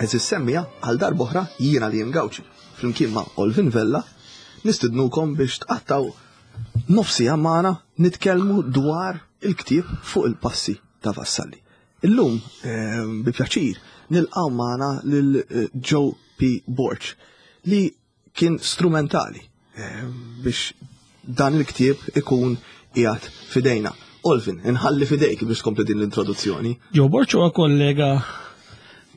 Eżis semmija għal darb'oħra jiena li Gawċi flimkien ma' Olvin Vella nistidnukom biex tqattaw nofsija magħna nitkellmu dwar il-ktieb fuq il-passi ta' Vassalli. Illum eh, bi pjaċir nilqgħu magħna lil eh, Joe P. Borg li kien strumentali eh, biex dan il-ktieb ikun qiegħed fidejna. Olvin, inħalli fidejk biex tkompli din l-introduzzjoni. Joe Borg huwa kollega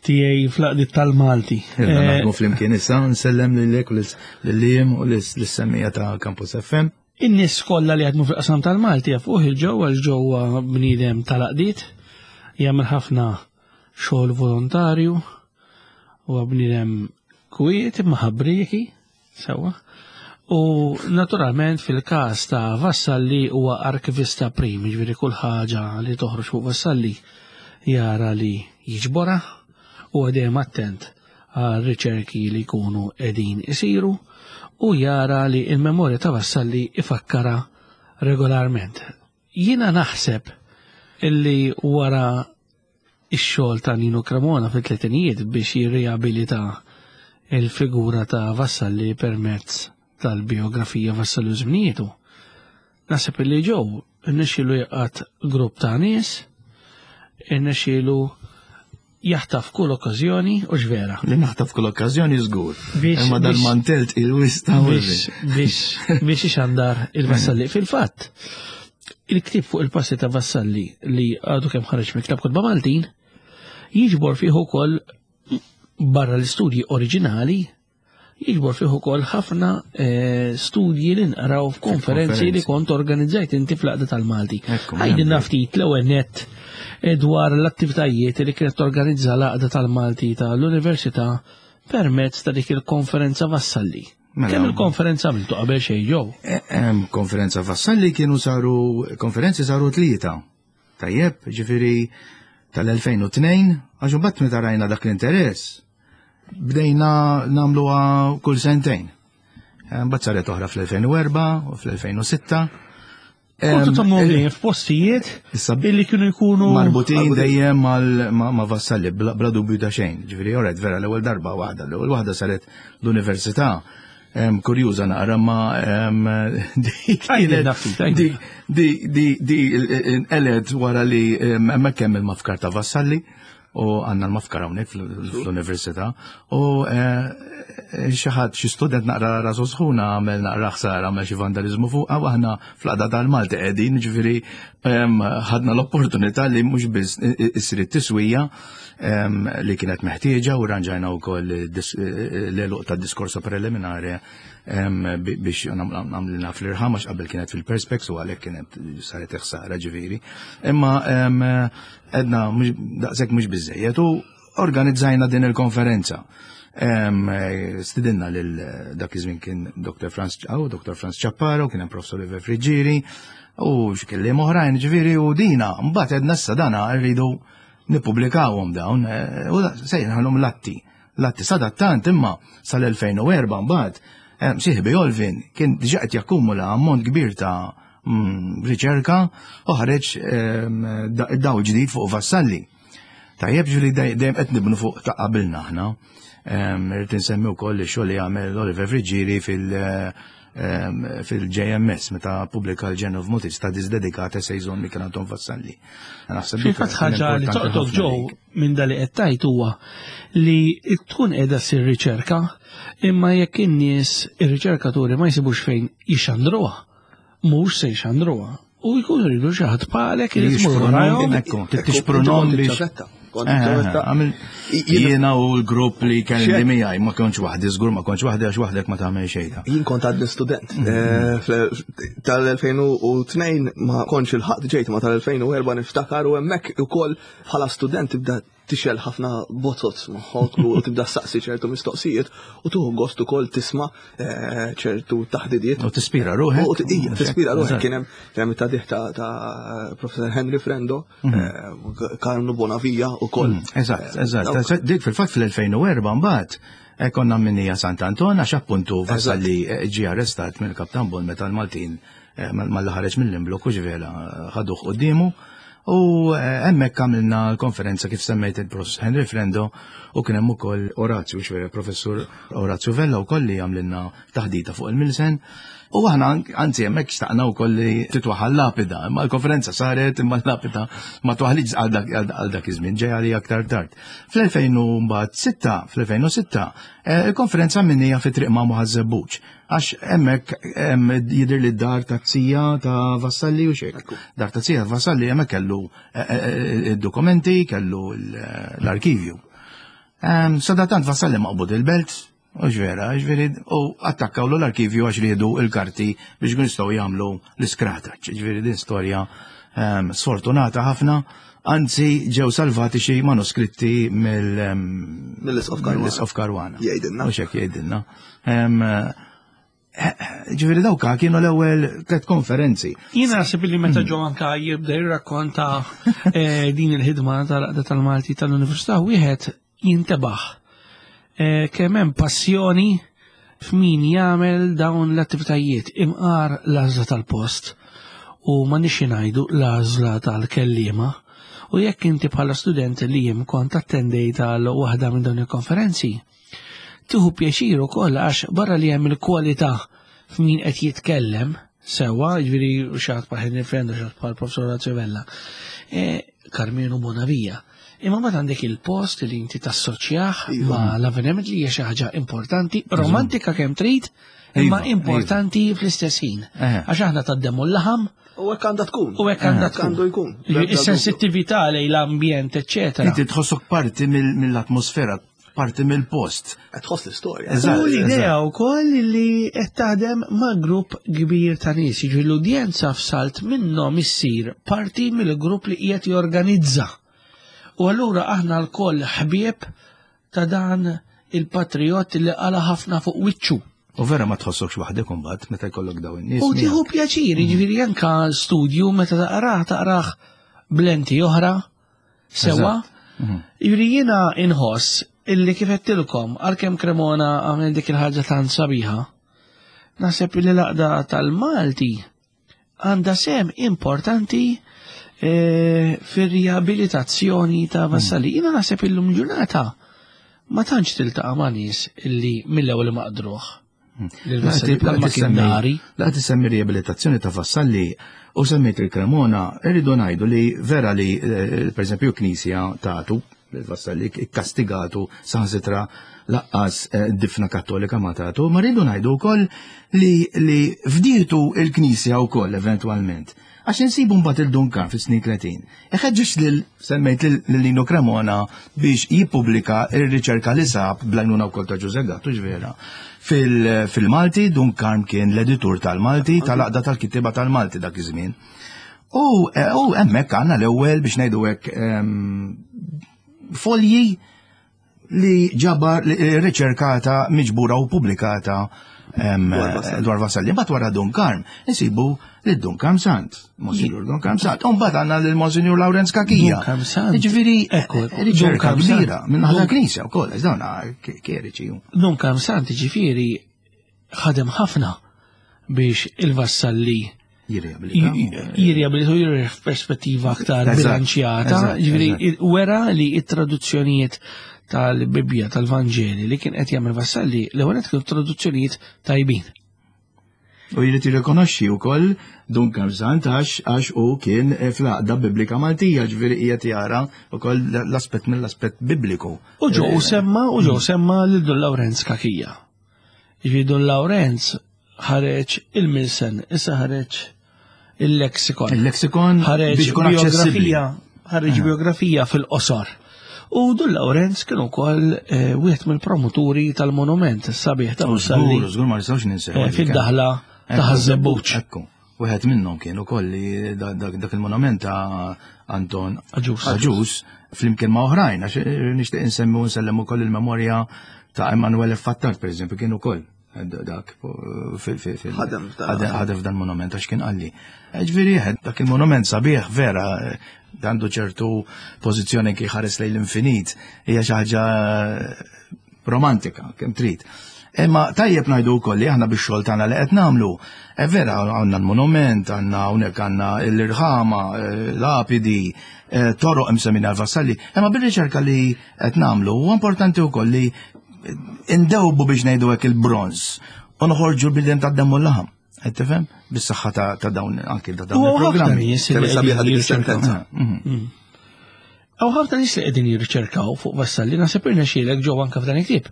tiegħi fl-aqdiet tal-Malti. Naħdmu flimkien issa, nsellem lilek u lil-lim u lis-semmija ta' Campus FM. In-nies kollha li jaħdmu fil-qasam tal-Malti jafuh il-ġew għax ġewwa bniedem tal-aqdiet, jagħmel ħafna xogħol volontarju, huwa bniedem kwiet imma ħabrieki, sewwa. U naturalment fil-każ ta' Vassalli huwa arkivista prim, jiġifieri kull ħaġa li toħroġ fuq Vassalli jara li jiġborha u dejjem attent għal riċerki li jkunu qegħdin isiru u jara li il-memorja ta' Vassalli ifakkara regolarment. Jiena naħseb illi wara ix-xogħol ta' Nino Cremona fit-tletinijiet biex jirriabilita il-figura ta' Vassalli permezz tal-biografija Vassalli u żminietu. Naħseb illi ġew irnexxielu jaqgħad grupp ta' nies, irnexxielu jaħtaf kull okkażjoni u x'vera. Li naħtaf kull okkażjoni żgur. Imma dal-mantell il-wista biex biex ixandar il-Vassalli. Fil-fatt, il-ktieb fuq il-passi ta' Vassalli li għadu kemm ħareġ mill-Klabb Kotba Maltin jiġbor fih ukoll barra l-istudji oriġinali jiġbor fih ukoll ħafna eh, studji li nqraw f'konferenzi li kont organizzajt inti fl-Għaqda tal-Malti. Għajdilna ftit l-ewwel nett eh, dwar l-attivitajiet li kienet torganizza l-Għaqda tal-Malti tal-Università permezz ta' dik il-konferenza Vassalli. Mela. Kemm il-konferenza għamiltu qabel xejn ġew? Eh, konferenza Vassalli kienu saru konferenzi saru tlieta. Tajjeb, ġifieri tal-2002, għax imbagħad meta rajna dak l-interess, bdejna nagħmluha kull sentejn. Eh, mbagħad saret oħra fl-2004 u fl-2006. Kontu tagħmlu eh, f'postijiet illi kienu jkunu marbutin dejjem ma' vassalli bla dubju ta' xejn. Ġifieri oret vera l-ewwel darba waħda, l-ewwel waħda saret l-università. Kurjuża naqra ma di di di inqelet wara li hemmhekk hemm il-mafkar ta' Vassalli u għandna l-mafkar hawnhekk fl-università u eh, xi ħadd xi student naqra rasu sħuna għamel naqra ħsara għamel xi vandaliżmu fuq u aħna fl-qada tal-Malti qegħdin ġifieri ħadna l-opportunità li mhux biss issir it-tiswija li kienet meħtieġa u ranġajna wkoll l-eluq tad-diskorso preliminari biex għamlina fl-irħam għax qabel kienet fil-perspex u għalhekk kienet saret ħsara ġifieri. Imma edna daqshekk mhux biżejjed u organizzajna din il-konferenza. Stidinna lil dak iż-żmien kien Dr. Franz oh, Dr. Franz Ċapparo, kien hemm Professor Oliver Friġġieri u xi kelliem oħrajn ġifieri u dina mbagħad edna issa dana rridu nippubblikawhom dawn eh, u sejħalhom l-atti. L-atti sadattant imma sal-2004 mbagħad eh, sieħbi Olvin kien diġà qed jakkumula ammont kbir ta' mm, riċerka u ħareġ ehm, daw ġdid fuq Vassalli. Tajjeb ġifieri dejjem qed nibnu fuq ta' qabilna aħna. Ehm, irrid insemmi wkoll ix-xogħol li għamel Oliver Friggieri fil- ehm, fil-JMS meta pubblika l-Journal of Motive Studies dedikat essays on Michael Anton Vassalli. Naħseb Fil-fatt ħaġa li toqtok ġew minn dali qed tajt huwa li tkun qiegħda ssir riċerka imma jekk in-nies ir-riċerkaturi ma jsibux fejn jixandruha mhux se jxandruha. U jkunu jridu xi ħadd bħalek li jmur warajhom. Tixprunhom biex. Eh, eh, jiena u l-grupp li kelli miegħi ma kontx waħdi, żgur ma kontx waħdi għax waħdek ma tagħmel xejn. Jien kont għadni student. Mm-hmm. Eh, tal-2002 ma kontx il-ħadd ġejt ma tal-2004 niftakar u hemmhekk ukoll bħala student tibda tixel ħafna bozoz moħħok u tibda saqsi ċertu mistoqsijiet u tuħu gost ukoll tisma' eh, ċertu taħdidiet. U tispira ruħek. U tispira ruħek kien hemm kien hemm it-tadih ta' Professor Henry Frendo, mhm. eh, Karnu Bonavija ukoll. Mhm, eżatt, eh, eżatt. Dik fil-fatt fl-2004 mbagħad konna minnija Sant'Anton għax appuntu wasal li ġie arrestat mill-Kaptan Bon meta l-Maltin mal-ħareġ mill-imblok u ġvela ħaduh quddiemu. U eh, hemmhekk għamilna l-konferenza kif semmejt il-Professor Henry Frendo u kien hemm ukoll Orazju, xwera Professur Orazju Vella wkoll li għamlilna taħdita fuq il-Milsen. U aħna anzi hemmhekk xtaqna wkoll li titwaħal lapida, imma l-konferenza saret imma l-lapida ma twaħlitx għal dak iż-żmien ġej għalija aktar tard. Fl-2006, fl-2006, eh, il-konferenza minnija fi triq ma' Muħażebbuġ. Għax hemmhekk jidher li d-dar ta' tija ta' Vassalli u xek. Dar ta' tija Vassalli hemmhekk kellu eh, eh, eh, id-dokumenti, kellu l-arkivju. Sadatant Vassalli maqbud il-belt, u ġvera, ġveri, u attakkaw l-arkivju għax riedu il-karti biex kun jistgħu jagħmlu l-iskrata. Ġveri din storja sfortunata ħafna, anzi ġew salvati xi manuskritti mill-Isqof Karwana. Jgħidilna. U xek jgħidilna. Ġifieri dawka kienu l-ewwel tliet konferenzi. Jiena naħseb li meta ġo anka jibda jirrakkonta eh, din il-ħidma tal-Aqda tal-Malti tal-Università wieħed jintebaħ eh, kemm hemm passjoni f'min jagħmel dawn l-attivitajiet imqar l-għażla tal-post u ma nixi ngħidu l-għażla tal-kelliema. U jekk inti bħala student li jiem kont attendejt għal waħda minn dawn il-konferenzi, Tieħu pjaċir ukoll għax barra li hemm il-kwalità f'min qed jitkellem sewwa, jiġifieri xi ħadd bħal Henry Friend u xi ħadd bħal Professor Orazio Vella, e, Carmelo Bonavia. Imma mbagħad għandek il-post li inti tassoċjah iva. ma' l-avveniment li hija xi ħaġa importanti, romantika kemm trid, imma iva, importanti iva. fl-istess ħin. Għax aħna taddemu l-laħam. U hekk għandha tkun. U hekk għandha tkun. Għandu jkun. Is-sensittività lejn l-ambjent, eċċetera. Inti tħossok parti mill-atmosfera parti mill-post. Qed tħoss l-istorja. U l-idea wkoll li qed taħdem ma' grupp kbir ta' nies, jiġifieri l-udjenza f'salt minnhom issir parti mill-grupp li qiegħed jorganizza. U allura aħna lkoll ħbieb ta' dan il-patriot li qala ħafna fuq wiċċu. U vera ma tħossokx waħdek imbagħad meta jkollok dawn in-nies. U tieħu pjaċir, jiġifieri anka studju meta taqrah taqrah blenti oħra Sewa? Mhm. Juri jiena inħoss illi kif għedtilkom għalkemm Cremona għamel dik il-ħaġa tant sabiħa, naħseb li l-għaqda tal-Malti għandha sem importanti eh, fir-riabilitazzjoni ta' mhm. Vassalli. Jiena naħseb illum ġurnata ma tantx tiltaqa' ma' nies illi mill-ewwel ma qdruh. La tisemmi riabilitazzjoni ta' Vassalli u semmejt il-Cremona, irridu ngħidu li vera li eh, per eżempju knisja tagħtu Vassalli ikkastigatu saħansitra laqqas eh, difna kattolika ma tagħtu, ma rridu ngħidu wkoll li li fdietu il-knisja wkoll eventwalment. Għax insibu mbagħad il-Duncan fis-snin 30. Iħeġġeġ lil semmejt lil Lino Cremona biex jippubblika r-riċerka li sab bl-għajnuna wkoll ta' Ġuże Gattu ġvera. Fil-Malti, Dun Karm kien l-editur tal-Malti, tal-Għaqda tal-Kittieba tal-Malti dak iż-żmien. U eh, hemmhekk għandna l-ewwel biex ngħidu hekk ehm, folji li ġabar eh, riċerkata, miġbura u pubblikata dwar Vassalli. Mbagħad wara Dun Karm, insibu lil Dun Karm Sant, Monsignor Dun Karm Sant. U mbagħad għandna lil Monsignor Lawrenz Kakija. Dun Karm Sant. Jiġifieri riċerka kbira minn ħala knisja wkoll, għax dawn kjeriċi. Dun Karm Sant ġifieri ħadem ħafna biex il-Vassalli jirriabilita u jirri f'perspettiva aktar bilanċjata, ġifieri wera li it-traduzzjonijiet tal-Bibbja tal-Vanġeli li kien qed jagħmel Vassalli l-ewwel qed kienu traduzzjonijiet tajbin. U jrid jirrikonoxxi wkoll Dun Karl għax għax u kien fl-għaqda Biblika Maltija, ġifieri qiegħed jara wkoll l-aspett mill-aspett Bibliku. U ġew semma u ġew semma lil Dun Lawrenz Kakija. Jiġifieri Dun Lawrenz ħareġ il-Milsen, issa ħareġ il-lexikon. Il-lexikon ħareġ biografija, ħareġ eh. biografija fil-qosor. U Dun Lawrenz kien ukoll eh, wieħed mill-promoturi tal-monument sabiħ ta' Żgur, żgur ma nistgħux ninsew. Eh, fid-daħla ta' Ħaż-Żebbuġ. Ekku. Wieħed minnhom kien ukoll li dak il-monument ta' Anton Aġus. Aġus flimkien ma' oħrajn, għax nixtieq insemmi u nsellem ukoll il-memorja ta' Emanuele Fattart, per eżempju, kien ukoll dak ħadem f'dan monument għax kien qalli. Ġifieri dak il-monument sabiħ vera għandu ċertu pożizzjoni kif ħares lejn l-infinit, hija xi ħaġa romantika, kemm trid. Imma tajjeb ngħidu wkoll li aħna bix-xogħol tagħna li qed nagħmlu, è vera għandna l-monument, għandna hawnhekk għandna l-irħama, eh, lapidi, eh, toroq imsemmin għal Vassalli, imma bir-riċerka li qed nagħmlu huwa importanti wkoll li indewbu biex ngħidu hekk il-bronz u noħorġu l-bidem tad-demm u l-laħam. Qed tifhem? Bis-saħħa ta' dawn anki ta' dawn il-programmi. Sabiħa dik is-sentenza. Mm. Mm. Hawn ħafna nies li qegħdin jirriċerkaw fuq Vassalli naħseb irnexxielek ġew anke f'dan il-ktieb.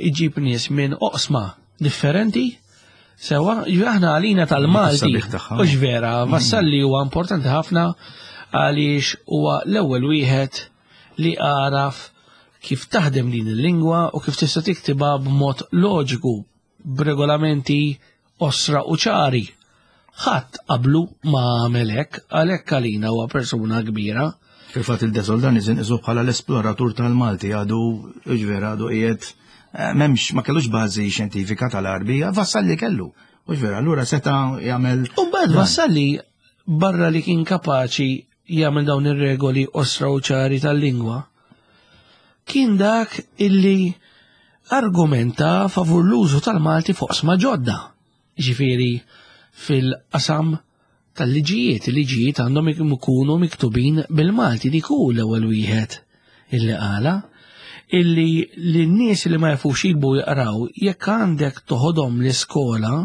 Iġib nies minn oqsma differenti sewa, aħna għalina tal-Malti. Mhux vera, mm. Vassalli huwa importanti ħafna għaliex huwa l-ewwel wieħed li għaraf kif taħdem din il-lingwa u kif tista' tiktibha b'mod loġiku b'regolamenti qosra u ċari. Ħadd qablu ma għamel hekk, għalhekk għalina huwa persuna kbira. Fil-fatt il-Desoldan iżin isu bħala l-esploratur tal-Malti għadu ġvera għadu qiegħed eh, m'hemmx ma kellux bażi xjentifika tal-Arbija, Vassalli kellu. U vera, allura seta' jagħmel. U mbagħad Vassalli barra li kien kapaċi jagħmel dawn ir-regoli qosra u ċari tal-lingwa, kien dak illi argumenta favur l-użu tal-Malti fuq sma ġodda. Ġifieri fil-qasam tal-liġijiet, il-liġijiet għandhom ikunu miktubin bil-Malti dik hu l-ewwel wieħed illi qala illi lin-nies li ma jafux jiktbu jaqraw jekk għandek toħodhom l-iskola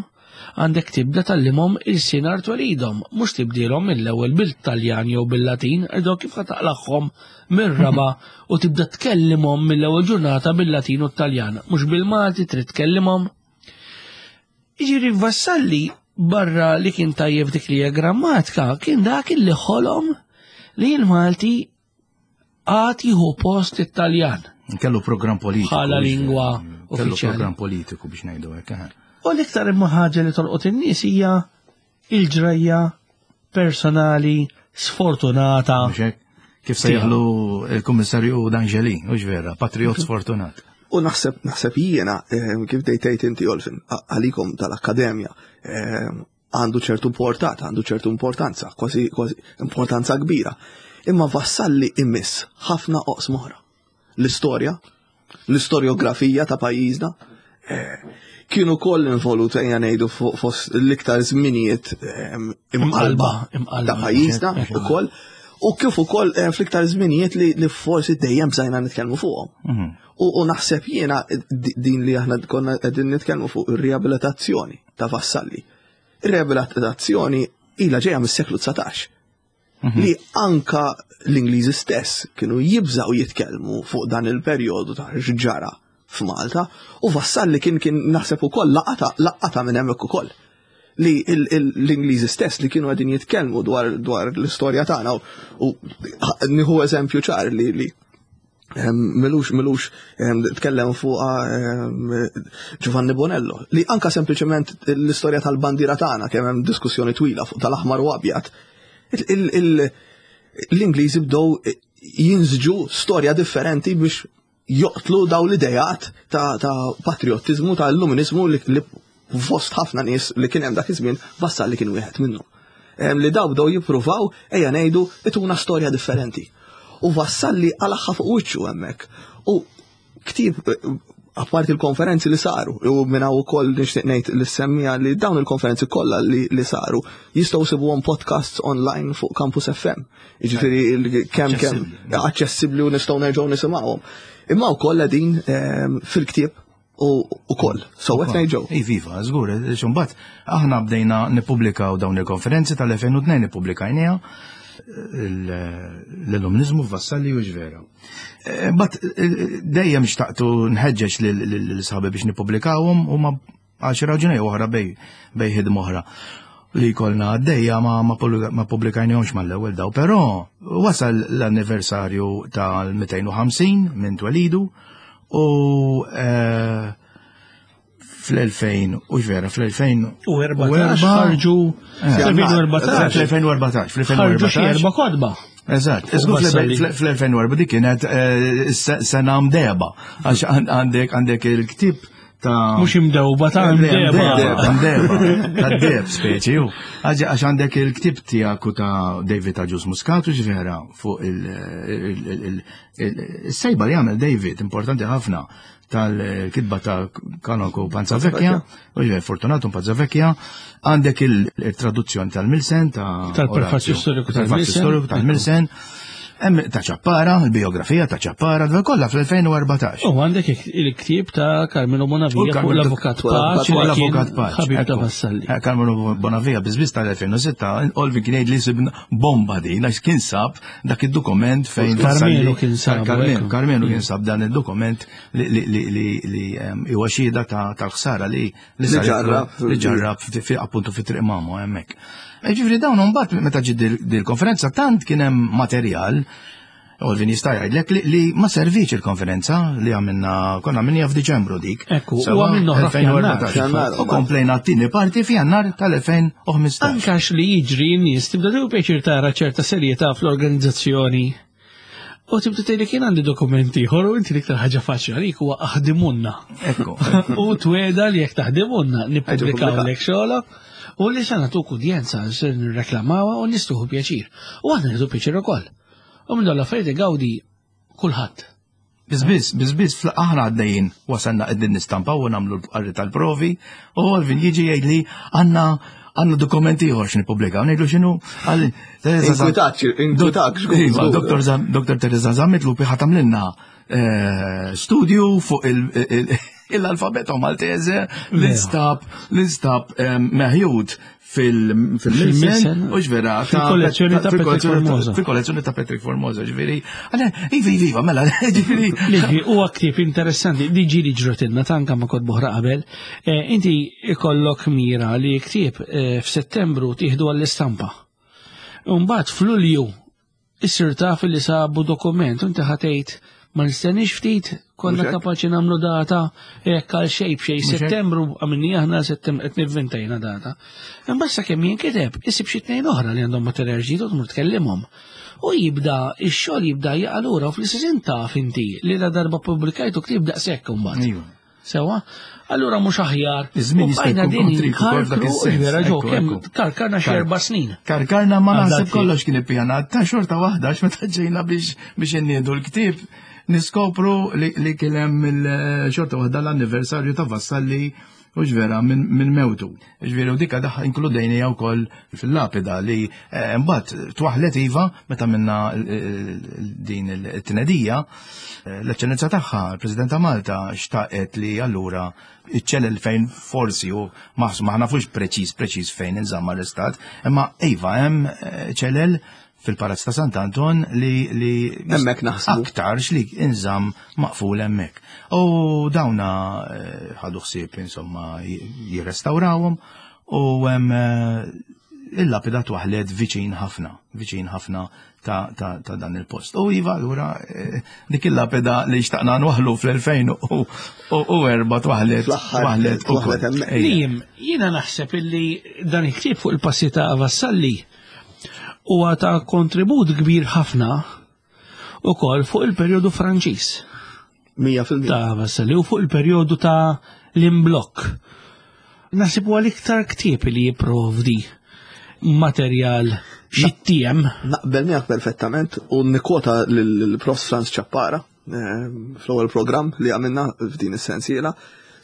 għandek tibda tgħallimhom ilsien art twelidhom, mhux tibdielhom mill-ewwel bil-Taljan jew bil-Latin, għidhom kif ħa taqlagħhom mir-raba' u tibda tkellimhom mill-ewwel ġurnata bil-Latin u t-Taljan, mhux bil-Malti trid tkellimhom. Jiġifieri Vassalli barra li kien tajjeb dik li hija grammatika, kien dak li ħolom li l-Malti għad jieħu post it-Taljan. Kellu program politiku. Bħala lingwa Kellu program politiku biex ngħidu hekk. Eh. U l-iktar imma ħaġa li tolqot in-nies hija il-ġrajja personali sfortunata. Kif sejħlu il-Kummissarju D'Angeli, u vera, patriot sfortunat. U naħseb naħseb jiena eh, kif dejtejt inti Olfin għalikom tal-akkademja eh, għandu ċertu portata, għandu ċertu importanza, kważi kważi importanza kbira. Imma Vassalli imiss ħafna oqs moħra. L-istorja, l-istorjografija ta' pajjiżna, eh, kienu koll involut ejja ngħidu fost l-iktar żminijiet eh, imqalba ta' pajjiżna ukoll u kif ukoll eh, fl-iktar żminijiet li forsi dejjem bżajna nitkellmu fuqhom. Mhm. U naħseb jiena din li aħna konna qegħdin nitkellmu fuq ir-riabilitazzjoni ta' Vassalli. Ir-riabilitazzjoni ilha ġejja mis-seklu 19. Mhm. Li anka l-Ingliżi stess kienu jibżaw jitkellmu fuq dan il-perjodu ta' ġara f'Malta u Vassalli kien kien naħseb ukoll laqata laqata minn hemmhekk ukoll li l-Ingliżi stess li kienu qegħdin jitkellmu dwar dwar l-istorja tagħna u nieħu eżempju ċar li li Milux, milux, tkellem fuqa Giovanni Bonello, li anka sempliciment l-istorja tal-bandira tagħna kemm hemm diskussjoni twila fuq tal-aħmar u abjad. L-Ingliżi bdew jinżġu storja differenti biex joqtlu daw l-idejat ta' patriotizmu, ta' illuminizmu li fost ħafna nies li kien hemm dak iż-żmien Vassalli kien wieħed minnhom. Li daw bdew jippruvaw ejja ngħidu ituna storja differenti. U Vassalli għalaħħa fuq wiċċu hemmhekk. U ktieb apparti il-konferenzi li saru, u minn hawn ukoll nixtieq ngħid li semmija li dawn il-konferenzi kollha li, li saru jistgħu sibuhom podcasts online fuq Campus FM. Jiġifieri kemm kemm aċċessibbli u nistgħu nerġgħu nisimgħuhom. Imma wkoll qegħdin ehm, fil-ktieb u koll. So qed ngħid Iviva, żgur, xumbat aħna bdejna nippubblikaw dawn il-konferenzi tal-2002 nippubblikajniha l-illuminizmu f'Vassalli u ġvera. Eh, bat eh, dejjem xtaqtu nħeġġeġ l-sħabi biex nippubblikawhom u ma għal xi raġuni oħra bej bej ħidma oħra li jkollna għaddejja ma ma pubblikajnihomx mal-ewwel daw, però wasal l-anniversarju tal-250 minn twelidu u eh, fl-2000 u vera fl-2014 ħarġu fl-2014 fl-2014 fl-2014 erba' kotba. Eżatt, fl-2004 dik kienet eh, sena mdeba għax għandek għandek il-ktib ta' Mhux imdewba ta' imdeba. Imdeba, ta' deb speċi. Għax għandek il-ktib tiegħek u ta' David Agius Muscat u vera fuq il-sejba li għamel David, importanti ħafna, tal-kitba ta' Kanoko Panzavecchia, u ġvera Fortunato Panzavecchia, għandek il-traduzzjoni tal-Milsen, ta' tal-prefazju storiku tal-Milsen, Hemm ta' Ċappara, il-biografija ta' Ċappara, dwar kollha fl-2014. U għandek il-ktieb ta' Carmelo Bonavia fuq l-Avukat Paċ. L-Avukat Paċ. Ħabib ta' Vassalli. Eh, Carmelo Bonavia biżbiż tal-2006, Olvi kien jgħid li sibna bomba din għax kien sab dak id-dokument fejn Carmelo kien sab. Carmelo kien sab dan id-dokument li huwa xhieda tal-ħsara li li ġarrab li ġarrab appuntu fi triq mamu hemmhekk. E ġifieri dawn imbagħad meta ġiet dil-konferenza tant kien hemm materjal Olvin jista' jgħidlek li ma serviċ il-konferenza li għamilna konna għamilniha f'Diċembru dik. Ekku, u għamilna oħra f'Jannar. U komplejna t-tieni parti f'Jannar tal-2015. Anke li jiġri n-nies tibda tieħu pjaċir tara ċerta serjetà fl-organizzazzjoni. U tibda tgħidli kien għandi dokumenti ieħor u inti l-iktar ħaġa faċli għalik huwa aħdimunna. Ekku. U tweda li jekk taħdimunna nippubblikaw lek xogħolok u li se nagħtuk udjenza se nirreklamawha u nistuħu pjaċir. U aħna nieħdu pjaċir ukoll. U minn dawn l-affarijiet igawdi kulħadd. Bizbiz, bizbiz, aħna għaddejjin wasalna qegħdin nistampaw u nagħmlu l-qarri tal-provi u Alvin jiġi jgħidli għandna għandna dokumenti ieħor x'nippubblikaw. Ngħidlu x'inhu għal Inkwitak, inkwitak. Iva, Dr. Teresa Zammit Lupi ħa tagħmlilna eh, studju fuq l-alfabeto Maltese l-instab l-instab eh, meħjud fil-Milsen, u ġvera. Fil-kollezzjoni ta' Patrick Formosa. Fil-kollezzjoni ta' Patrick Formosa, ġveri. Għale, iva, iva, iva, mela, ġveri. Liġi, u ktieb interessanti, diġi li ġrotilna tanka ma kod boħra qabel, eh, inti ikollok mira li ktieb eh, f'Settembru tieħdu għall-istampa. Mbagħad f'Lulju Issir taf li sabu dokument, inti ħatejt ma nistenniex ftit, konna kapaċi nagħmlu data hekk għal xejn b'xejn Settembru għamilni aħna Settembru qed nivvintajna data. Imbagħad sakemm jinkiteb isib xi tnejn oħra li għandhom materjal ġdid u tmur tkellimhom. U jibda ix-xogħol jibda jaqa' lura u fl-istess taf inti li la darba pubblikajtu ktieb daqshekk imbagħad. Sewa? Allura mhux aħjar. Iż-żmien jista' jkun din karkru, vera ġo kemm karkarna xi erba' snin. Karkarna ma naħseb kollox kien ippjanat ta' xorta waħda għax meta ġejna biex biex inniedu l-ktieb niskopru li kien hemm il-xorta waħda l-anniversarju ta' Vassalli u ġvera minn mewtu. Ġveri u dika daħ inkludejnija wkoll fil-lapida li eh, mbagħad twaħlet iva meta minna eh, din it-tnedija eh, l-eċċellenza tagħha, il-President ta' Malta xtaqet li allura iċ-ċelel fejn forsi u maħsu ma nafux preċiż preċiż fejn inżamm arrestat, imma iva hemm ċelel fil-Palazz ta' Sant'Anton li li hemmhekk naħsbu aktarx li inżamm maqful hemmhekk. U dawna eh, ħadu ħsieb insomma jirrestawrawhom u hemm eh, il-lapida twaħlet viċin ħafna, viċin ħafna ta', ta, ta dan il-post. U iva, allura eh, dik il-lapida li xtaqna nwaħlu fl-2004 twaħlet. Twaħlet, twaħlet hemmhekk. Lim, jiena naħseb illi dan il-ktieb fuq il-passi ta' Vassalli huwa ta' kontribut kbir ħafna ukoll fuq il-perjodu Franċiż. 100%. Ta' Vassalli u fuq il-perjodu ta' l-imblokk. Naħseb huwa l-iktar ktieb li jipprovdi materjal xittiem. Naqbel miegħek perfettament u nikkwota lill-Prof Franz Ciappara eh, fl-ewwel programm li għamilna f'din is-sensiela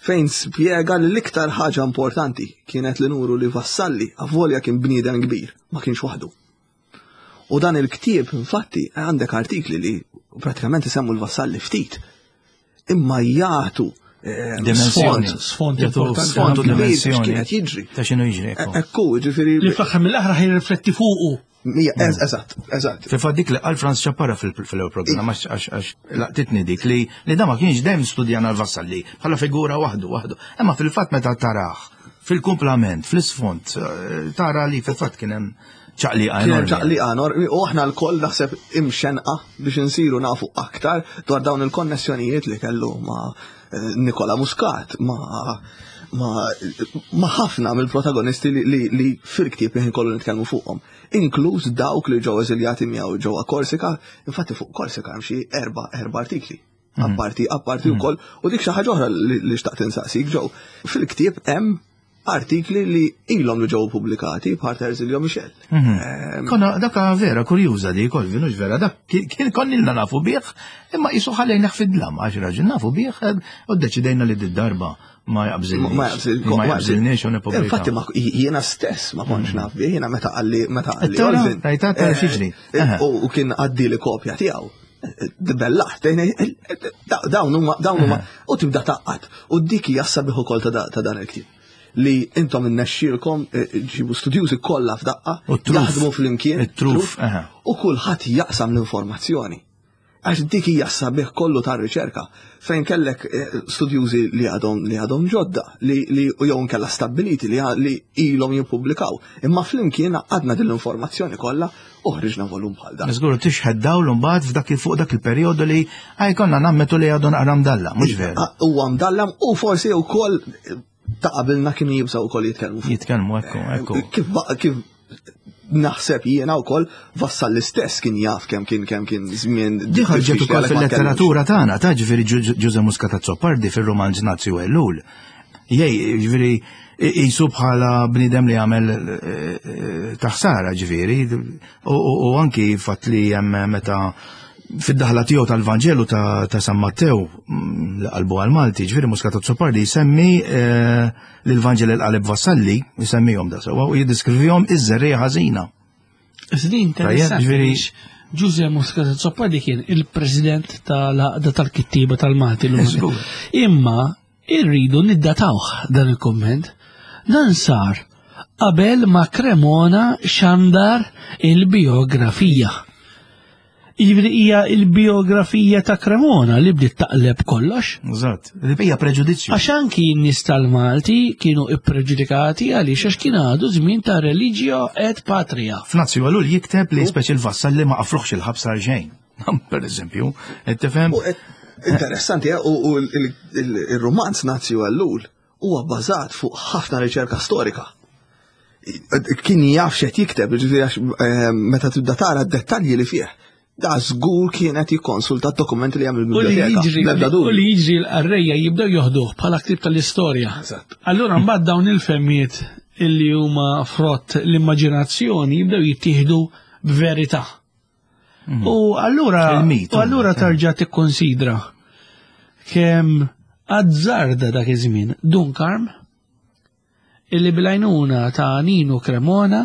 fejn spjega li l-iktar ħaġa importanti kienet li nuru li Vassalli avolja kien bniedem kbir, ma kienx waħdu. U dan il-ktieb, infatti, għandek artikli li pratikament isemmu l-Vassalli ftit, imma jagħtu eh, Dimensjoni. Sfond Jagħtu importanti sfond ħafna. dimensjoni. X'kienet jiġri. Ta' x'inhu jiġri. ekku. Ekku, ġifieri. Li fl-aħħar mill-aħħar ħajrifletti fuqu. Eżatt, eżatt. Fil-fatt dik li qal Franz Ciappara fil-ewwel programm għax għax laqtitni dik li li da ma kienx dejjem studjana l-Vassalli bħala figura waħdu waħdu. Imma fil-fatt meta tarah fil-kumplament, fl-isfond, eh, tara li fil-fatt kien hemm ċaqliqa Kien hemm enormi. ċaqliqa enormi u aħna lkoll naħseb imxenqa biex insiru nafu aktar dwar dawn il-konnessjonijiet li kellu ma' eh, Nikola Muscat, ma' ma' ma' ħafna mill-protagonisti li, li, li fil-ktieb li kollu nitkellmu fuqhom, inkluż dawk li ġew eżiljati miegħu ġewwa Korsika, infatti fuq Korsika hemm xi erba' erba' artikli. Apparti, apparti wkoll, u dik xi ħaġa oħra li xtaqt insaqsik Joe. Fil-ktieb hemm artikli li ilhom li ġew pubblikati bħal Terzilio Michel. Mhm. Konna daka vera kurjuża di Colvin, hux vera, dak kien konnilna nafu bih, imma qisu ħallejna fid-dlam għax raġel nafu bih eh, u ddeċidejna li d-darba ma jaqbżilniex. Ma jaqbżilniex. Ma jaqbżilniex u nippubblikaw. Infatti ma jiena stess ma kontx naf bih, jiena meta qalli meta qalli. Tara, Olvin, rajta, tara eh, x'jiġri. eh, Aha. U kien għaddi li kopja tiegħu. Dibellaħt, dawn huma dawn huma u tibda taqqat. U dik hija sabiħ ukoll ta' ta' dan il-ktieb. Li intom innexxielkom eh, ġibu studjużi kollha f'daqqa, U t-truf. jaħdmu flimkien, It-truf, aha. u kulħadd jaqsam l-informazzjoni. Għax dik hija sabiħ kollu tar-riċerka fejn kellek eh, studjużi li għadhom li għadhom ġodda li li u jew nkella stabbiliti li li ilhom jippubblikaw. Imma flimkien għadna din l-informazzjoni kollha u ħriġna volum bħal dan. Żgur tixħed dawl mbagħad f'dak fuq dak il-perjodu li għaj konna nammetu li għadu naqra mdalla, mhux vera. Ah, Huwa mdallam u forsi wkoll eh, ta' qabilna kienu jibżgħu wkoll jitkellmu fuq. Jitkellmu ekku, ekku. Kif kif naħseb jiena wkoll Vassal l-istess kien jaf kemm kien kemm kien żmien Di ħarġet diffiċli ukoll għalhekk ma fil-letteratura tagħna, ta' ġifieri Ġuże Muscat Azzopardi fir-romanz Nazzi u Ellul. Jej, ġifieri jisu bħala bniedem li għamel eh, eh, taħsara ġifieri, u anki fatt li hemm meta fid-daħla tiegħu tal-Vanġelu ta' San Mattew mm, li qalbu għal-Malti, ġifieri Muscat Azzopardi jsemmi eh, l-Vanġel il-qaleb Vassalli, jsemmihom da sewwa u jiddiskrivihom iż-żerriegħa ħażina. Iżdi interessanti. ġifieri- għaliex Ġuże Muscat Azzopardi kien il-president tal-għaqda tal-kittiba tal-Malti. l-lum. Imma irridu niddatawh dan il-komment. Dan sar qabel ma Cremona xandar il-biografija. Jiġifieri hija il-biografija ta' Cremona li bdiet taqleb kollox. Eżatt, li hija preġudizzju. Għax anki n-nies tal-Malti kienu ippreġudikati għaliex għax kien għadu żmien ta' religio et patria. F'Nazju Għalul jikteb li speċi l-vassal li ma qafruħx il-ħabs għal xejn. Per eżempju, qed tifhem? U Interessanti, eh, u il-romanz Nazju Ellul huwa bbażat fuq ħafna riċerka storika. Kien jaf x'qed jikteb, ġifieri għax eh, meta tibda tara d-dettalji li fih, da żgur kien qed jikkonsulta d-dokumenti li hemm U li il-biblioteka. jiġri bl-ebda u dubju. li jiġri l-qarrejja jibdew joħduh bħala ktib tal-istorja. Allura mbagħad dawn il-femmiet illi huma frott l-immaġinazzjoni jibdew jittieħdu b'verità. U allura Il-mit, u allura eh. tarġa' tikkonsidra kemm azzarda dak iż-żmien Dun Karm illi bil-għajnuna ta' Nino Cremona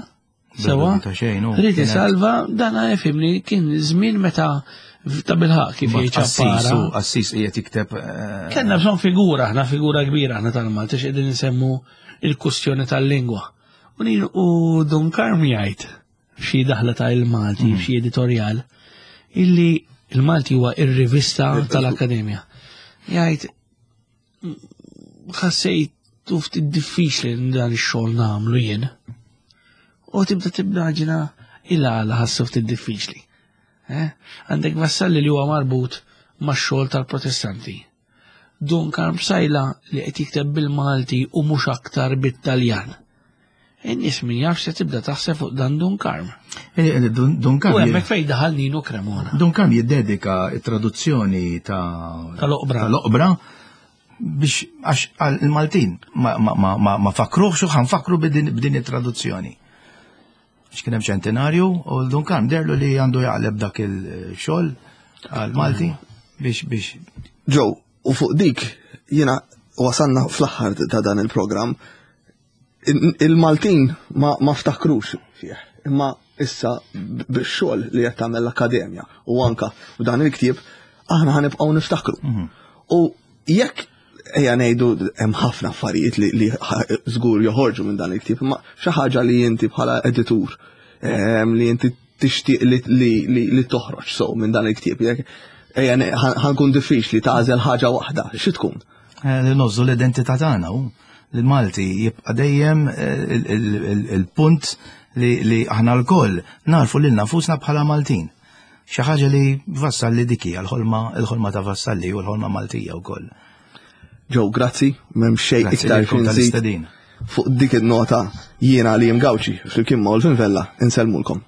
sewa Ta' xejn, u Rrid kienet- isalva dan fimni kien żmien meta ta' bilħaq kif jgħid Assis, ċappara. u Assis qiegħed jikteb eh, Kellna bżonn figura, aħna figura kbira aħna tal-Malta x'qegħdin insemmu il-kustjoni tal-lingwa. U nin u Dun Karm jgħid f'xi daħla ta' il-Malti, f'xi editorjal, illi il-Malti huwa ir-rivista tal-Akkademja. Jgħid ħassejt ftit diffiċli li dan ix-xogħol nagħmlu jien. U tibda tibnaġina il-għala ħassu ftit diffiċli. Eh? Għandek vassalli li huwa marbut max-xogħol tal-Protestanti. Dun Karm Sajla li qed jikteb bil-Malti u mhux aktar bit-Taljan. In-nies min jaf se tibda taħseb fuq dan Dun Karm. eh, eh, Dun Dun U Karm hemmhekk fejn daħal Nino Cremona. Dun Karm jiddedika t-traduzzjoni ta' Tal-oqbra. tal-oqbra biex għax għal il-Maltin ma, ma, ma, ma, ma fakruħx u ħanfakru b'din b'din it-traduzzjoni. Għax kien hemm ċentinarju u Dun Karm derlu li għandu jaqleb dak il-xogħol għal Malti biex biex Joe, u fuq dik jiena wasalna fl-aħħar ta' dan il-programm. Il-Maltin ma, ma ftakrux fih, imma issa bix-xogħol li qed tagħmel l-akkademja u anka b'dan il-ktieb aħna ħanibqgħu niftakru. U jekk ejja ngħidu hemm ħafna affarijiet li, li żgur joħorġu minn dan il-ktieb, imma xi ħaġa li inti bħala editur li inti tixtieq li, li, li, li toħroġ so minn dan il-ktieb, jekk ejja ħankun diffiċli tagħżel ħaġa waħda, xi tkun? Eh, li nożżu l-identità tagħna u l-Malti jibqa' dejjem eh, il-punt li, aħna lkoll narfu lil nafusna bħala Maltin. Xi ħaġa li Vassalli dik hija l-ħolma l-ħolma ta' Vassalli u l-ħolma Maltija wkoll. Joe, grazzi, m'hemm xejn iktar tal-istedin. Fuq dik in-nota jiena li Gawċi flimkien ma' Olvin Vella insellmulkom.